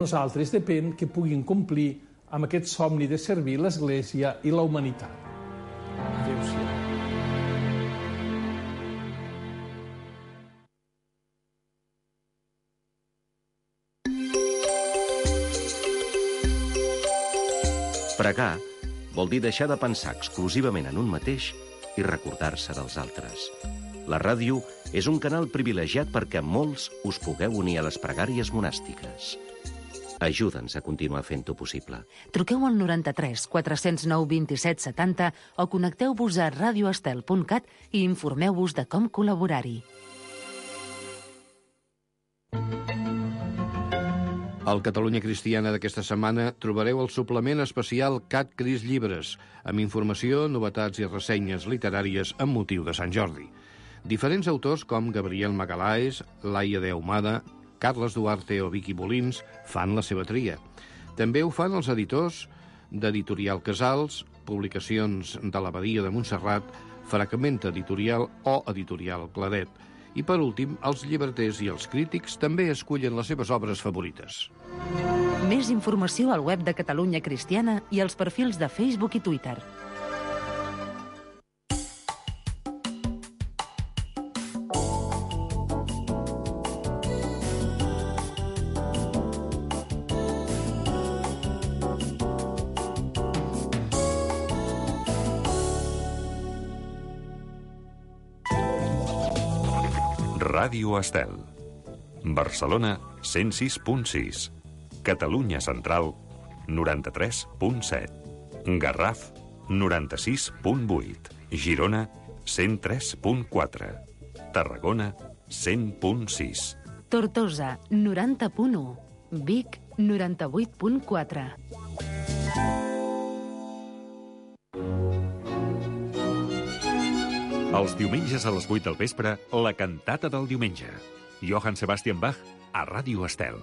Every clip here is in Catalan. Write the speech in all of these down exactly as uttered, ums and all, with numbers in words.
Nosaltres depèn que puguin complir amb aquest somni de servir l'Església i la humanitat. Adéu-siau. Pregar vol dir deixar de pensar exclusivament en un mateix i recordar-se dels altres. La ràdio és un canal privilegiat perquè molts us pugueu unir a les pregàries monàstiques. Ajuda'ns a continuar fent-ho possible. Truqueu al noranta-tres quatre zero nou vint-i-set setanta o connecteu-vos a radio estel punt cat i informeu-vos de com col·laborar-hi. Al Catalunya Cristiana d'aquesta setmana trobareu el suplement especial Cat Cris Llibres, amb informació, novetats i ressenyes literàries amb motiu de Sant Jordi. Diferents autors com Gabriel Magalhães, Laia de Ahumada, Carles Duarte o Vicky Molins fan la seva tria. També ho fan els editors d'Editorial Casals, Publicacions de l'Abadia de Montserrat, Fragmenta Editorial o Editorial Claret. I, per últim, els llibreters i els crítics també escullen les seves obres favorites. Més informació al web de Catalunya Cristiana i als perfils de Facebook i Twitter. Ràdio Estel. Barcelona, cent sis punt sis. Catalunya Central, noranta-tres punt set. Garraf, noranta-sis punt vuit. Girona, cent tres punt quatre. Tarragona, cent punt sis. Tortosa, noranta punt u. Vic, noranta-vuit punt quatre. Els diumenges a les vuit del vespre, la cantata del diumenge. Johann Sebastian Bach a Ràdio Estel.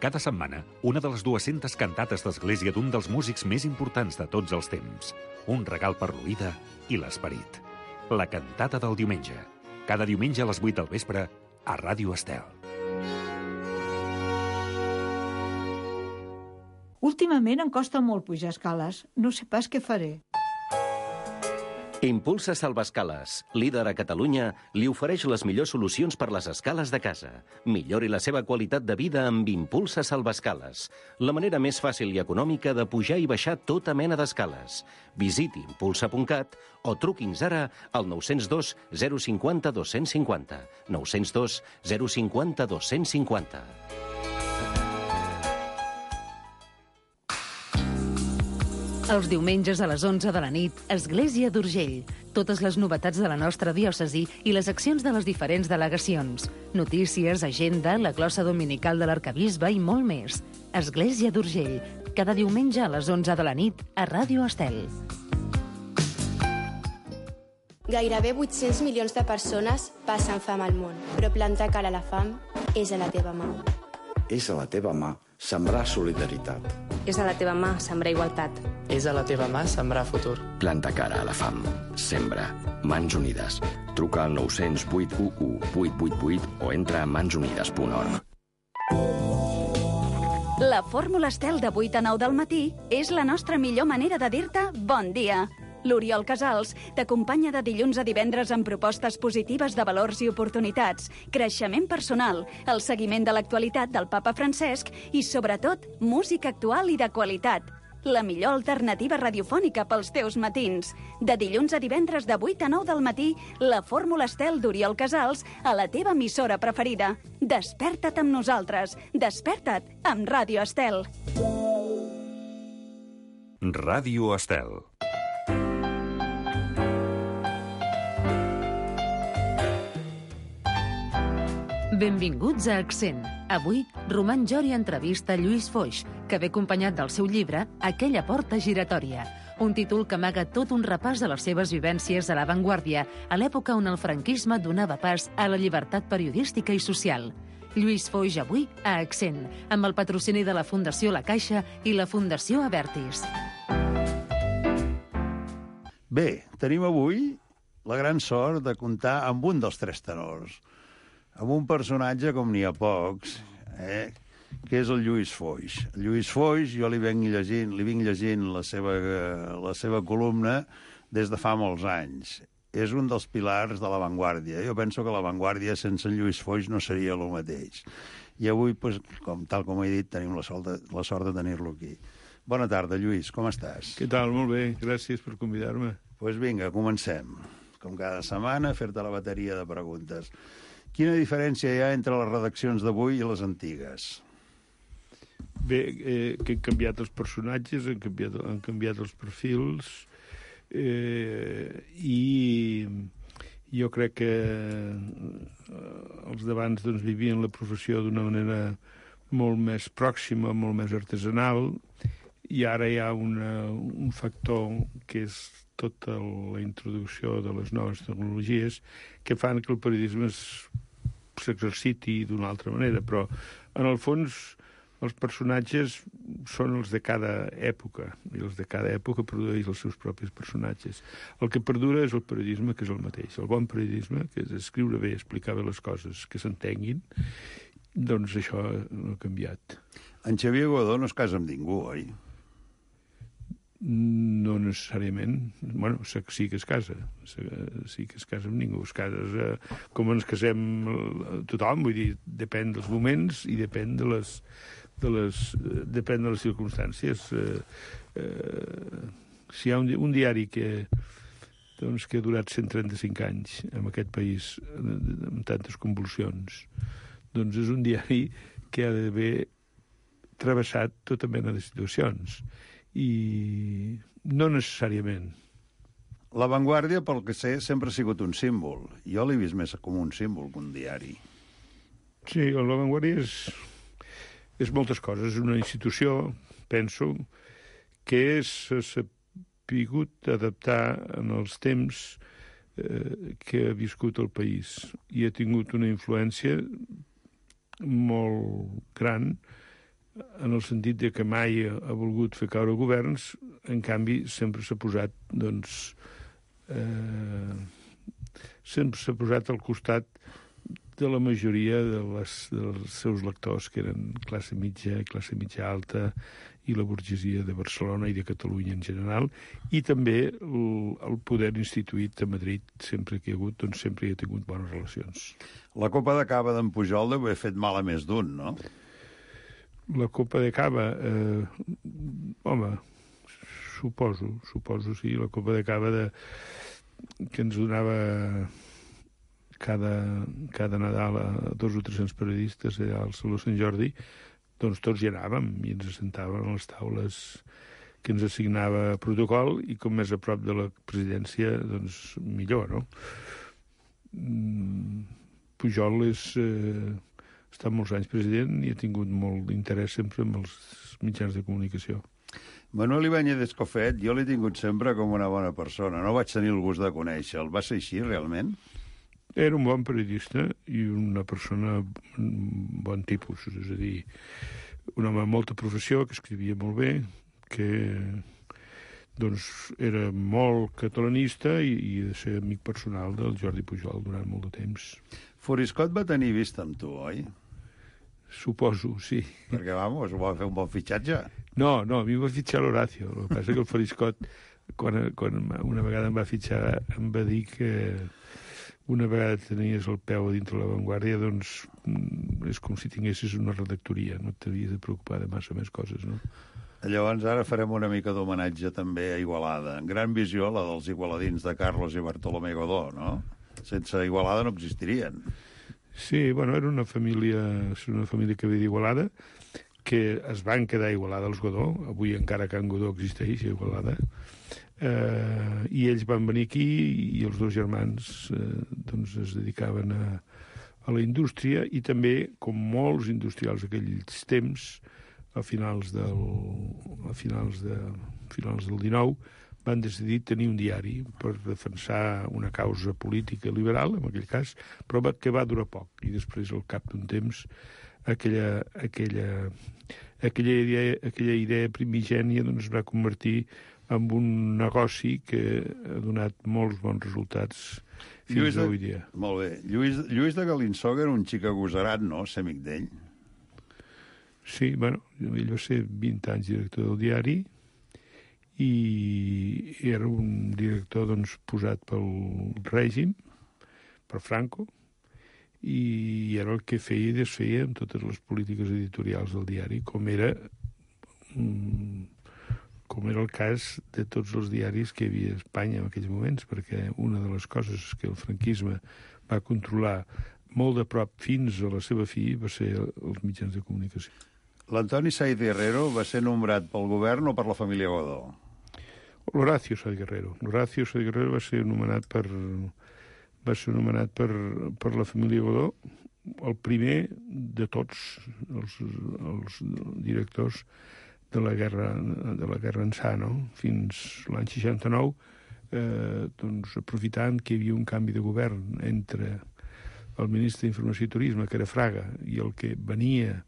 Cada setmana, una de les dues-centes cantates d'església d'un dels músics més importants de tots els temps. Un regal per l'oïda i l'esperit. La cantata del diumenge. Cada diumenge a les vuit del vespre a Ràdio Estel. Últimament em costa molt pujar escales. No sé pas què faré. Impulsa Salvaescales, líder a Catalunya, li ofereix les millors solucions per les escales de casa. Millori la seva qualitat de vida amb Impulsa Salvaescales, la manera més fàcil i econòmica de pujar i baixar tota mena d'escales. Visiti impulsa punt cat o truqui'ns ara al nou zero dos zero cinc zero dos cinc zero. nou zero dos zero cinc zero dos cinc zero. Els diumenges a les onze de la nit, Església d'Urgell. Totes les novetats de la nostra diòcesi i les accions de les diferents delegacions. Notícies, agenda, la glossa dominical de l'arcabisbe i molt més. Església d'Urgell. Cada diumenge a les onze de la nit a Ràdio Estel. Gairebé vuit-cents milions de persones passen fam al món, però plantar cara a la fam és a la teva mà. És a la teva mà sembrar solidaritat. És a la teva mà sembrar igualtat. És a la teva mà sembrar futur. Planta cara a la fam. Sembra. Mans Unides. Truca al nou zero zero vuit u u vuit vuit vuit o entra a mans unides punt org. La fórmula Estel de vuit a nou del matí és la nostra millor manera de dir-te bon dia. L'Oriol Casals t'acompanya de dilluns a divendres amb propostes positives de valors i oportunitats, creixement personal, el seguiment de l'actualitat del papa Francesc i, sobretot, música actual i de qualitat. La millor alternativa radiofònica pels teus matins. De dilluns a divendres de vuit a nou del matí, la fórmula Estel d'Oriol Casals a la teva emissora preferida. Desperta't amb nosaltres. Desperta't amb Ràdio Estel. Ràdio Estel. Benvinguts a Accent. Avui, Roman Jori entrevista Lluís Foix, que ve acompanyat del seu llibre Aquella porta giratòria, un títol que amaga tot un repàs de les seves vivències a l'avantguàrdia, a l'època on el franquisme donava pas a la llibertat periodística i social. Lluís Foix avui a Accent, amb el patrocini de la Fundació La Caixa i la Fundació Abertis. Bé, tenim avui la gran sort de comptar amb un dels tres tenors, amb un personatge com n'hi ha pocs, eh? que és el Lluís Foix. El Lluís Foix, jo li vinc llegint, li vinc llegint la seva, la seva columna des de fa molts anys. És un dels pilars de l'avantguàrdia. Jo penso que l'avantguàrdia sense en Lluís Foix no seria el mateix. I avui, pues, com, tal com he dit, tenim la sort de, la sort de tenir-lo aquí. Bona tarda, Lluís, com estàs? Què tal? Molt bé, gràcies per convidar-me. Doncs pues vinga, comencem. Com cada setmana, fer-te la bateria de preguntes. Quina diferència hi ha entre les redaccions d'avui i les antigues? Bé, eh, que han canviat els personatges, han canviat, han canviat els perfils, eh, i jo crec que els d'abans doncs, vivien la professió d'una manera molt més pròxima, molt més artesanal, i ara hi ha una, un factor que és tota la introducció de les noves tecnologies que fan que el periodisme s'exerciti d'una altra manera, però en el fons els personatges són els de cada època, i els de cada època produeix els seus propis personatges. El que perdura és el periodisme, que és el mateix. El bon periodisme, que és escriure bé, explicar bé les coses, que s'entenguin, doncs això no ha canviat. En Xavier Godó no es casa amb ningú, oi? No necessàriament. Bueno, sí que es casa. Sí que es casa amb ningú. Es casa com ens casem tothom, vull dir, depèn dels moments i depèn de les, de les, depèn de les circumstàncies. Eh, eh, si hi ha un, un diari que, doncs, que ha durat cent trenta-cinc anys en aquest país, amb tantes convulsions, doncs és un diari que ha d'haver travessat tota mena de situacions. I no necessàriament. L'avantguàrdia, pel que sé, sempre ha sigut un símbol. Jo l'he vist més com un símbol que un diari. Sí, l'avantguàrdia és, és moltes coses. És una institució, penso, que s'ha sapigut adaptar en els temps eh, que ha viscut el país i ha tingut una influència molt gran en el sentit de que mai ha volgut fer caure governs, en canvi sempre s'ha posat, doncs, eh, sempre s'ha posat al costat de la majoria de les, dels seus lectors, que eren classe mitja, classe mitja alta, i la burgesia de Barcelona i de Catalunya en general, i també el, el poder instituït a Madrid, sempre que hi ha hagut, doncs sempre hi ha tingut bones relacions. La Copa de Cava d'en Pujol deu haver fet mal a més d'un, no? La Copa de Cava, eh, home, suposo, suposo, sí, la Copa de Cava de, que ens donava cada, cada Nadal a dos o tres-cents periodistes allà al Saló Sant Jordi, doncs tots hi anàvem i ens assentàvem a les taules que ens assignava protocol i com més a prop de la presidència, doncs millor, no? Pujol és... Eh, ha estat molts anys president i ha tingut molt d'interès sempre amb els mitjans de comunicació. Manuel Ibáñez Escofet, jo l'he tingut sempre com una bona persona. No vaig tenir el gust de conèixer-lo. Va ser així, realment? Era un bon periodista i una persona bon tipus, és a dir, un home amb molta professió, que escrivia molt bé, que doncs era molt catalanista i, i de ser amic personal del Jordi Pujol durant molt de temps. Foriscot va tenir vista amb tu, oi? Suposo, sí. Perquè, vamos, va fer un bon fitxatge. No, no, a mi em va fitxar l'Horacio. El que passa que el Foriscot, quan, quan una vegada em va fitxar, em va dir que una vegada tenies el peu a dintre l'avantguàrdia, doncs és com si tinguessis una redactoria, no t'havies de preocupar de massa més coses, no? Llavors ara farem una mica d'homenatge també a Igualada. Gran visió, la dels igualadins de Carlos i Bartolomé Godó, no? Sense Igualada no existirien. Sí, bueno, era una família, una família que ve d'Igualada, que es van quedar a Igualada els Godó, avui encara Can Godó existeix a Igualada, eh, i ells van venir aquí i els dos germans eh, doncs es dedicaven a, a la indústria i també, com molts industrials aquells temps, a finals del, a finals de, finals del dinou, van decidir tenir un diari per defensar una causa política liberal, en aquell cas, però que va durar poc. I després, al cap d'un temps, aquella, aquella, aquella, idea, aquella idea primigènia doncs, es va convertir en un negoci que ha donat molts bons resultats fins Lluís de, avui dia. Molt bé. Lluís, Lluís de Galinsoga era un xic agosarat, no?, ser amic d'ell. Sí, bueno, ell va ser vint anys director del diari i era un director doncs, posat pel règim, per Franco, i era el que feia i desfeia amb totes les polítiques editorials del diari, com era com era el cas de tots els diaris que hi havia a Espanya en aquells moments, perquè una de les coses que el franquisme va controlar molt de prop fins a la seva fi va ser els mitjans de comunicació. L'Antoni Saiz Guerrero va ser nombrat pel govern o per la família Godó? L'Horacio Saiz Guerrero. L'Horacio Saiz Guerrero va ser nomenat per, va ser nomenat per, per la família Godó, el primer de tots els, els directors de la guerra, de la guerra ençà, no? Fins l'any seixanta-nou, eh, doncs, aprofitant que hi havia un canvi de govern entre el ministre d'Informació i Turisme, que era Fraga, i el que venia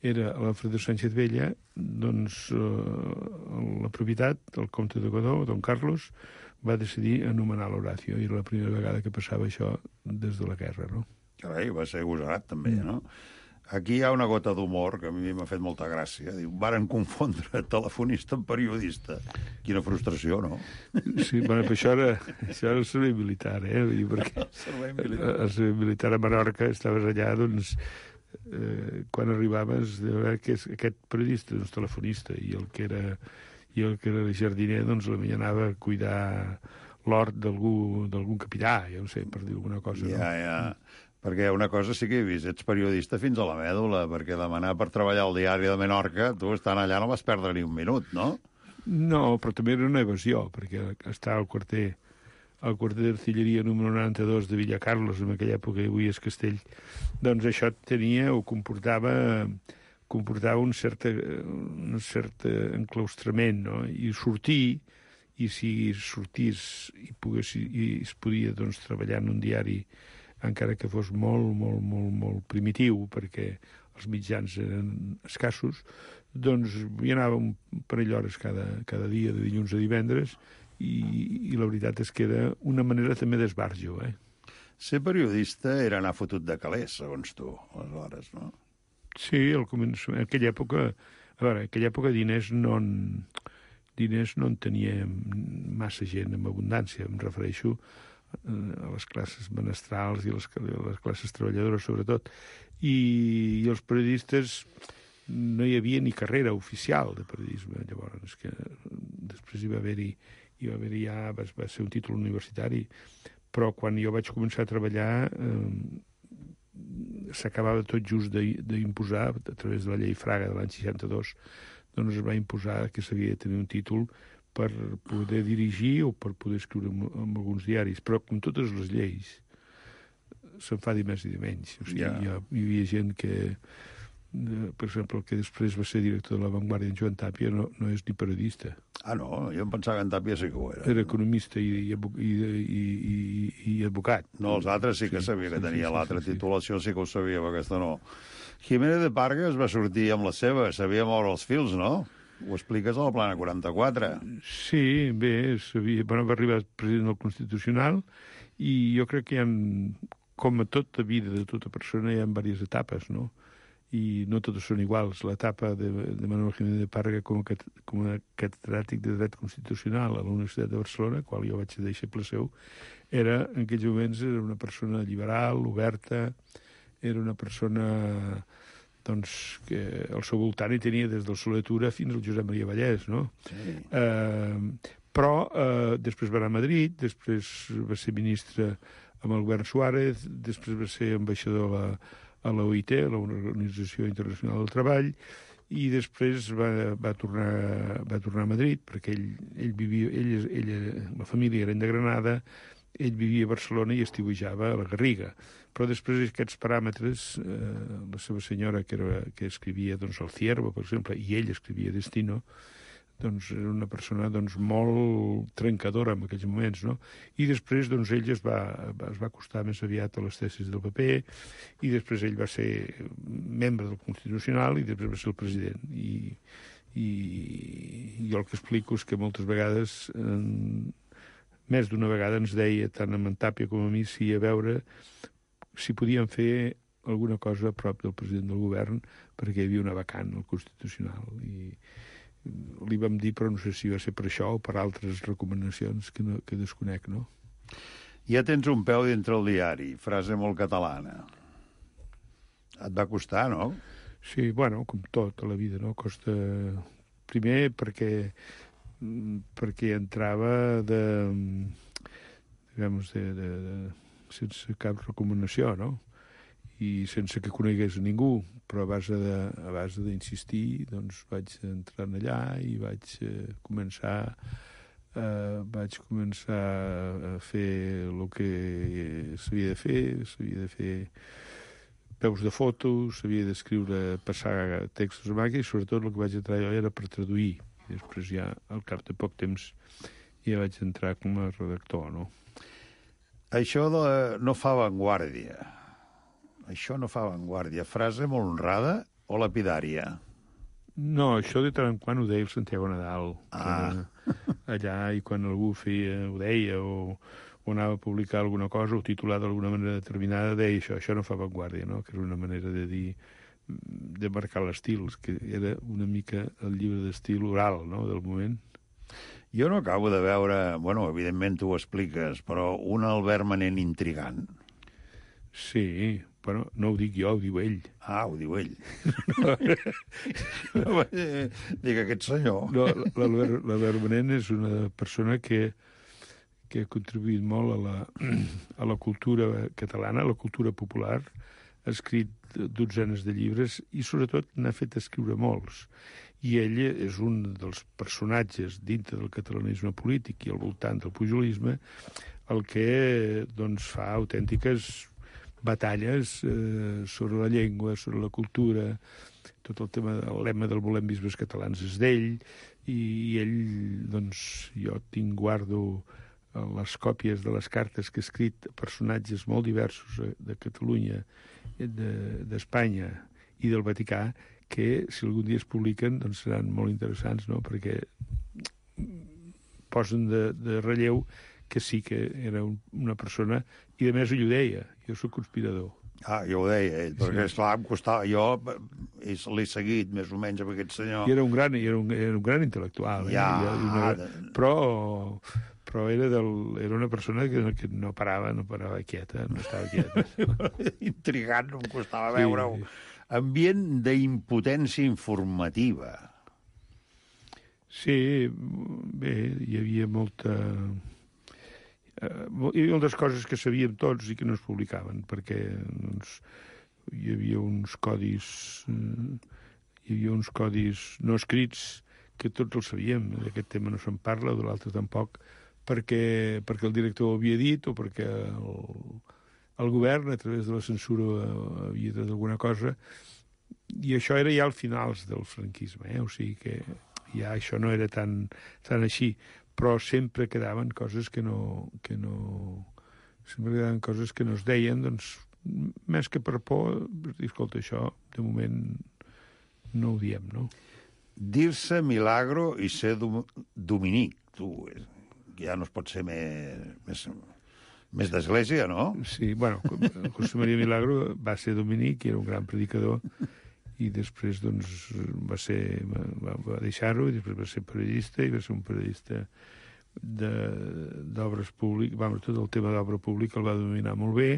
era l'Alfredo Sánchez Vella, doncs eh, la propietat, el comte de Godó, don Carlos, va decidir anomenar l'Horacio, i era la primera vegada que passava això des de la guerra, no? Carai, va ser agosarat, també, no? Aquí hi ha una gota d'humor que a mi m'ha fet molta gràcia. Diu, varen confondre telefonista amb periodista. Quina frustració, no? Sí, bueno, però això era, això era el servei militar, eh? Vull dir, perquè el servei militar. El servei militar a Menorca, estaves allà, doncs, eh, quan arribaves, de veure que aquest periodista, doncs, telefonista, i el que era, i el que era jardiner, doncs, la anava a cuidar l'hort d'algú, d'algun capità, ja no sé, per dir alguna cosa. Ja, no? ja. Perquè una cosa sí que he vist, ets periodista fins a la mèdula, perquè demanar per treballar al diari de Menorca, tu estant allà no vas perdre ni un minut, no? No, però també era una evasió, perquè està al quarter, al quarter d'artilleria número noranta-dos de Villacarlos, en aquella època que avui és Castell, doncs això tenia o comportava, comportava un cert, un cert enclaustrament, no? I sortir, i si sortís i, pogués, i es podia doncs, treballar en un diari encara que fos molt, molt, molt, molt primitiu, perquè els mitjans eren escassos, doncs hi anava un parell d'hores cada, cada dia, de dilluns a divendres, i, i la veritat és que era una manera també d'esbarjo, eh? Ser periodista era anar fotut de calés, segons tu, aleshores, no? Sí, al començament, en aquella època, a veure, en aquella època diners no en, diners no en tenia massa gent en abundància, em refereixo a les classes menestrals i les, les classes treballadores, sobretot. I, I els periodistes no hi havia ni carrera oficial de periodisme, llavors, que després hi va haver-hi, hi va haver-hi ja, va, va ser un títol universitari, però quan jo vaig començar a treballar eh, s'acabava tot just d'imposar, a través de la llei Fraga de l'any seixanta-dos, doncs es va imposar que s'havia de tenir un títol per poder dirigir o per poder escriure en, en alguns diaris. Però, com totes les lleis, se'n fa de més i de menys. O sigui, yeah. hi, ha, hi havia gent que, per exemple, el que després va ser director de La Vanguardia, en Joan Tàpia, no, no és ni periodista. Ah, no? Jo em pensava que en Tàpia sí que ho era. Era economista i, i, i, i, i, i advocat. No, els altres sí que sí, sabia que sí, tenia sí, l'altra sí, titulació, sí. sí que ho sabia, però aquesta no. Jiménez de Pargas va sortir amb la seva, sabia moure els fils, no? Ho expliques a la Plana quaranta-quatre. Sí, bé, sabia, bueno, va arribar president del Constitucional i jo crec que hi ha, com a tota vida de tota persona, hi ha diverses etapes, no? I no totes són iguals. L'etapa de, de Manuel Jiménez de Parga com a, com a catedràtic de dret constitucional a la Universitat de Barcelona, qual jo vaig deixar seu, era, en aquells moments, era una persona liberal, oberta, era una persona doncs, que al seu voltant hi tenia des del Soler Tura fins al Josep Maria Vallès, no? Sí. Eh, però eh, després va anar a Madrid, després va ser ministre amb el govern Suárez, després va ser ambaixador a la, a la O I T, a l'Organització Internacional del Treball, i després va, va, tornar, va tornar a Madrid, perquè ell, ell vivia, ell, ell, la família era de Granada, ell vivia a Barcelona i estiuejava a la Garriga. Però després aquests paràmetres, eh, la seva senyora, que, era, que escrivia doncs, El Ciervo, per exemple, i ell escrivia Destino, doncs era una persona doncs, molt trencadora en aquells moments, no? I després doncs, ell es va, es va acostar més aviat a les tesis del P P, i després ell va ser membre del Constitucional i després va ser el president. I, i, i jo el que explico és que moltes vegades, eh, més d'una vegada ens deia, tant a en Tàpia com a mi, si a veure si podíem fer alguna cosa a prop del president del govern perquè hi havia una vacant al Constitucional i li vam dir, però no sé si va ser per això o per altres recomanacions que, no, que desconec, no? Ja tens un peu dintre el diari, frase molt catalana. Et va costar, no? Sí, bueno, com tot a la vida, no? Costa... Primer perquè perquè entrava de... digamos, de, de, de, sense cap recomanació, no? I sense que conegués a ningú, però a base de, a base d'insistir, doncs vaig entrar allà i vaig eh, començar eh, vaig començar a fer el que s'havia de fer, s'havia de fer peus de fotos, s'havia d'escriure, passar textos a màquina, i sobretot el que vaig entrar jo era per traduir. I després ja, al cap de poc temps, ja vaig entrar com a redactor, no? Això de no fa avantguàrdia. Això no fa avantguàrdia. Frase molt honrada o lapidària? No, això de tant en quant ho deia el Santiago Nadal. Ah. Allà, i quan algú feia, ho deia, o, o anava a publicar alguna cosa, o titular d'alguna manera determinada, deia això, això no fa avantguàrdia, no? Que era una manera de dir, de marcar l'estil, que era una mica el llibre d'estil oral, no?, del moment. Jo no acabo de veure, bueno, evidentment tu ho expliques, però un Albert Manent intrigant. Sí, però no ho dic jo, ho diu ell. Ah, ho diu ell. No, dic aquest senyor. No, l'Albert Manent és una persona que, que ha contribuït molt a la, a la cultura catalana, a la cultura popular, ha escrit dotzenes de llibres i sobretot n'ha fet escriure molts. I ell és un dels personatges dintre del catalanisme polític i al voltant del pujolisme el que doncs, fa autèntiques batalles eh, sobre la llengua, sobre la cultura, tot el tema del lema del volem bisbes catalans és d'ell, i, i ell, doncs, jo tinc, guardo les còpies de les cartes que ha escrit a personatges molt diversos de Catalunya, d'Espanya de, i del Vaticà, que si algun dia es publiquen doncs seran molt interessants, no?, perquè posen de, de relleu que sí que era un, una persona, i a més ell ho deia, jo soc conspirador. Ah, jo ho deia ell, perquè sí. Esclar, em costava, jo l'he seguit més o menys amb aquest senyor. I era un gran, era un, era un gran intel·lectual, eh? Ja, una, però, però era, del, era una persona que, que no parava, no parava quieta, no estava quieta. Intrigant, no em costava veure-ho. Sí. Ambient d'impotència informativa. Sí, bé, hi havia molta... Uh, hi havia moltes coses que sabíem tots i que no es publicaven, perquè doncs, hi havia uns codis uh, hi havia uns codis no escrits que tots els sabíem. D'aquest tema no se'n parla, de l'altre tampoc, perquè, perquè el director ho havia dit o perquè el, el govern, a través de la censura, havia dit alguna cosa, i això era ja al finals del franquisme, eh? O sigui que ja això no era tan, tan així, però sempre quedaven coses que no, que no... sempre quedaven coses que no es deien, doncs, més que per por, escolta, això, de moment, no ho diem, no? Dir-se Milagro i ser dominic, tu, ja no es pot ser més, més, més d'església, no? Sí, bueno, José María Milagro va ser dominic i era un gran predicador, i després doncs, va, ser, va, va deixar-ho, i després va ser periodista, i va ser un periodista d'obres públiques, vam, tot el tema d'obra pública el va dominar molt bé,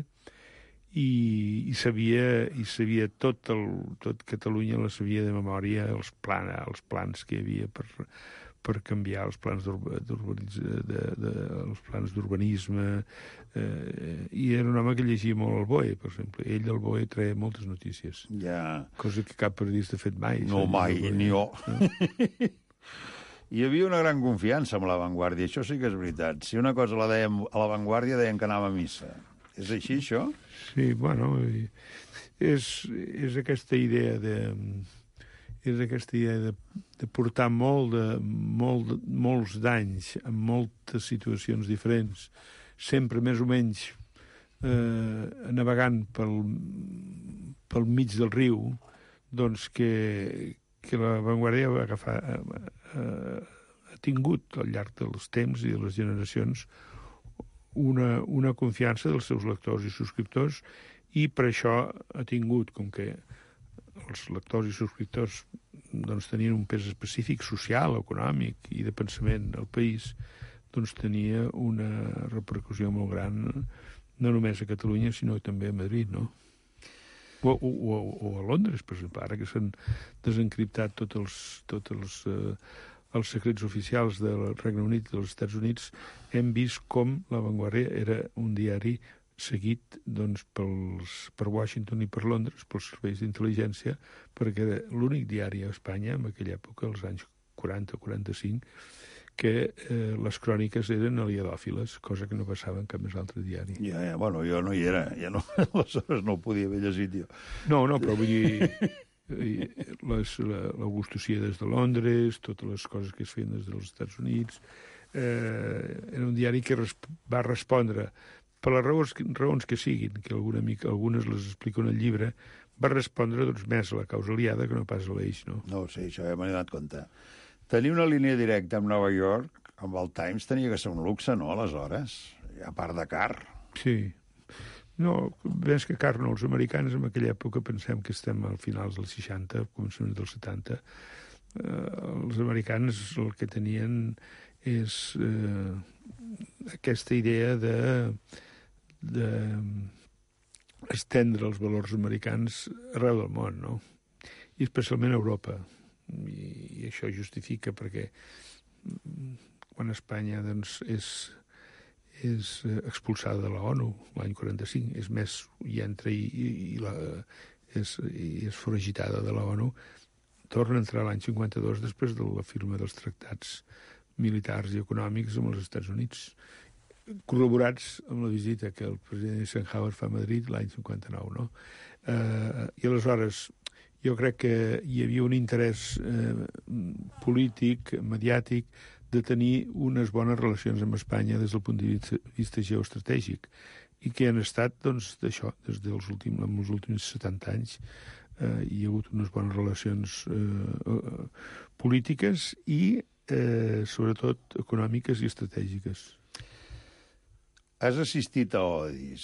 i, i sabia, i sabia tot, el, tot Catalunya la sabia de memòria, els, plan, els plans que hi havia per, per canviar els plans d'urbanisme, de, de, els plans d'urbanisme, eh, i era un home que llegia molt el B O E, per exemple. Ell del B O E treia moltes notícies. Ja. Cosa que cap periodista ha fet mai. No, mai, ni jo. No? Hi havia una gran confiança amb l'avantguàrdia, això sí que és veritat. Si una cosa la dèiem a l'avantguàrdia, deien que anava a missa. És així, això? Sí, bueno, és, és aquesta idea de... és aquesta idea de, de portar molt de, molt, molts d'anys en moltes situacions diferents, sempre més o menys eh, navegant pel, pel mig del riu, doncs que, que l'avantguàrdia va agafar, eh, ha tingut al llarg dels temps i de les generacions una, una confiança dels seus lectors i subscriptors, i per això ha tingut, com que els lectors i subscriptors doncs, tenien un pes específic social, econòmic i de pensament al país, doncs tenia una repercussió molt gran, no només a Catalunya, sinó també a Madrid, no? O, o, o a Londres, per exemple, ara que s'han desencriptat tots els, tots els, eh, els secrets oficials del Regne Unit i dels Estats Units, hem vist com La Vanguardia era un diari seguit doncs, pels, per Washington i per Londres, pels serveis d'intel·ligència, perquè era l'únic diari a Espanya, en aquella època, als anys quaranta o quaranta-cinc, que eh, les cròniques eren aliadòfiles, cosa que no passava en cap més altre diari. Ja, ja, bueno, jo no hi era, ja no, aleshores no ho podia haver llegit jo. No, no, però vull dir, les, la, l'Augustocía des de Londres, totes les coses que es feien des dels Estats Units, eh, era un diari que res, va respondre, per les raons, raons que siguin, que alguna mica, algunes les explico en el llibre, va respondre doncs, més a la causa aliada que no pas a l'eix, no? No, sí, això ja m'he donat compte. Tenir una línia directa amb Nova York, amb el Times, tenia que ser un luxe, no, aleshores? A part de car. Sí. No, més que car, no. Els americans en aquella època pensem que estem al finals dels seixanta, començaments dels setanta. Eh, els americans el que tenien és eh, aquesta idea de, de estendre els valors americans arreu del món, no? I especialment a Europa. I, i això justifica perquè quan Espanya doncs, és, és expulsada de la ONU l'any quaranta-cinc, és més, hi entra i, i, i, la, és, i és foragitada de la ONU, torna a entrar l'any cinquanta-dos després de la firma dels tractats militars i econòmics amb els Estats Units, corroborats amb la visita que el president Eisenhower fa a Madrid l'any cinquanta-nou, no? Eh, I aleshores jo crec que hi havia un interès eh, polític, mediàtic, de tenir unes bones relacions amb Espanya des del punt de vista, vista geoestratègic i que han estat, doncs, d'això, des dels últims, en els últims setanta anys eh, hi ha hagut unes bones relacions eh, eh, polítiques i, eh, sobretot, econòmiques i estratègiques. Has assistit a odis.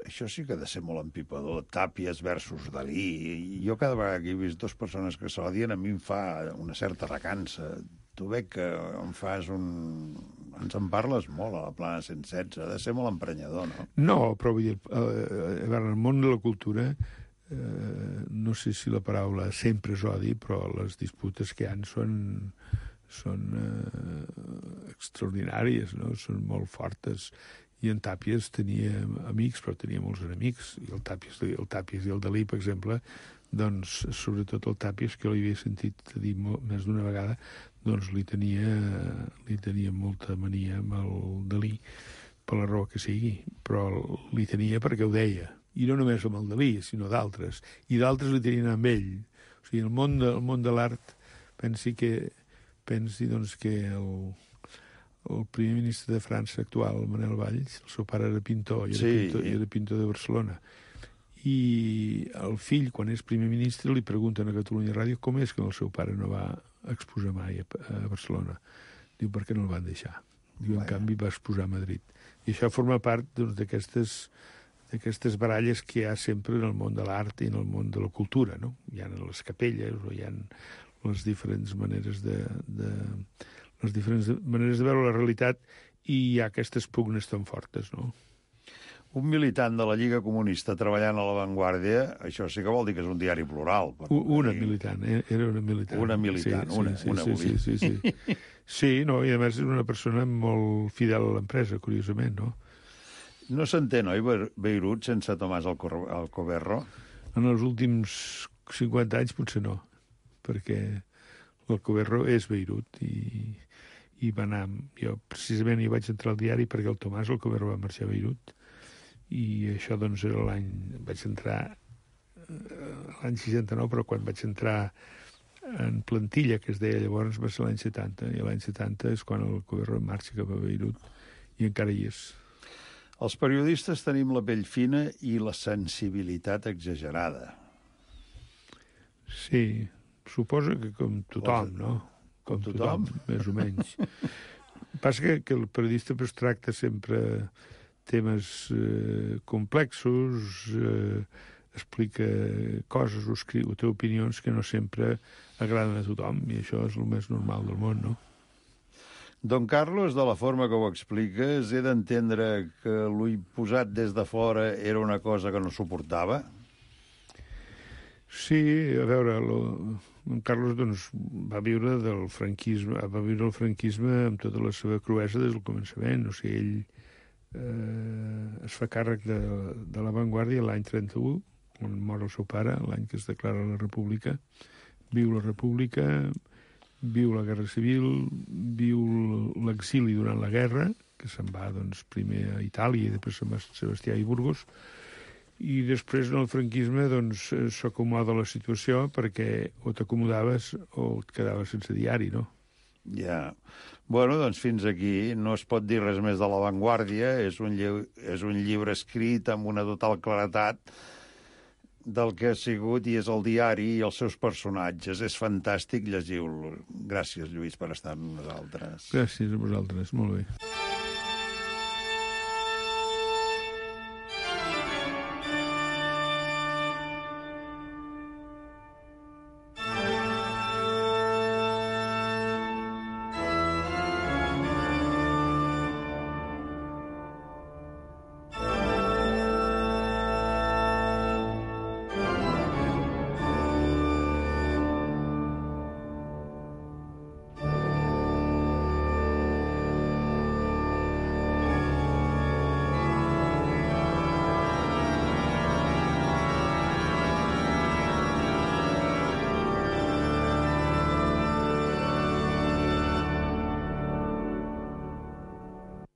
Això sí que ha de ser molt empipador. Tàpies versus Dalí. Jo cada vegada que he vist dues persones que s'odien, a mi em fa una certa recança. Tu veig que em fas un... Ens en parles molt a la plana cent setze. Ha de ser molt emprenyador, no? No, però vull dir, a veure, en el món de la cultura, eh, no sé si la paraula sempre és odi, però les disputes que hi ha són... són eh, extraordinàries, no? Són molt fortes. I en Tàpies tenia amics, però tenia molts enemics. I el Tàpies, el Tàpies i el Dalí, per exemple, doncs, sobretot el Tàpies, que l'havia sentit dir molt, més d'una vegada, doncs li tenia, li tenia molta mania amb el Dalí, per la raó que sigui, però li tenia perquè ho deia. I no només amb el Dalí, sinó d'altres. I d'altres li tenien amb ell. O sigui, el món de, el món de l'art, pensi que pensi doncs, que el, el primer ministre de França actual, Manuel Valls, el seu pare era pintor, i era, sí. pintor, i era pintor de Barcelona. I el fill, quan és primer ministre, li pregunten a Catalunya Ràdio com és que el seu pare no va exposar mai a, a Barcelona. Diu, per què no el van deixar? Diu, en canvi, va exposar a Madrid. I això forma part doncs, d'aquestes d'aquestes baralles que hi ha sempre en el món de l'art i en el món de la cultura, no? Hi ha les capelles, o hi ha les diferents maneres de, de les diferents maneres de veure la realitat, i hi ha aquestes pugnes tan fortes, no? Un militant de la Lliga Comunista treballant a La Vanguardia, això sí que vol dir que és un diari plural. Una militant, eh? Era una militant. Una militant, sí, una, sí, una sí, sí, sí, sí, sí. Sí, no, i a més és una persona molt fidel a l'empresa, curiosament, no? No s'entén, oi, Beirut sense Tomàs Alcoverro? En els últims cinquanta anys potser no, perquè l'Alcoverro és Beirut i, i va anar... Jo precisament hi vaig entrar al diari perquè el Tomàs Alcoverro va marxar a Beirut i això doncs era l'any... Vaig entrar l'any seixanta-nou, però quan vaig entrar en plantilla, que es deia llavors, va ser l'any setanta, i l'any setanta és quan l'Alcoverro marxa cap a Beirut i encara hi és. Els periodistes tenim la pell fina i la sensibilitat exagerada. Sí, suposo que com tothom, no? Com tothom, més o menys. Passa que, que el periodista pues, tracta sempre... temes eh, complexos, eh, explica coses o, escriu, o té opinions que no sempre agraden a tothom, i això és el més normal del món, no? Don Carlos, de la forma que ho expliques, he d'entendre que l'ull posat des de fora era una cosa que no suportava? Sí, a veure, lo, Don Carlos doncs, va viure del franquisme, va viure el franquisme amb tota la seva cruesa des del començament. O sigui, ell eh, es fa càrrec de, de l'avantguàrdia l'any trenta-u, quan mor el seu pare, l'any que es declara la república. Viu la república, viu la guerra civil, viu l'exili durant la guerra, que se'n va doncs, primer a Itàlia i després a Sebastià i Burgos, i després en el franquisme doncs, s'acomoda la situació perquè o t'acomodaves o et quedaves sense diari, no? Ja. Bueno, doncs fins aquí no es pot dir res més de l'avantguàrdia. És un, llibre, és un llibre escrit amb una total claretat del que ha sigut i és el diari i els seus personatges. És fantàstic, llegiu-lo. Gràcies, Lluís, per estar amb nosaltres. Gràcies a vosaltres, molt bé.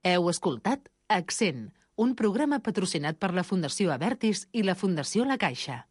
Heu escoltat Accent, un programa patrocinat per la Fundació Abertis i la Fundació La Caixa.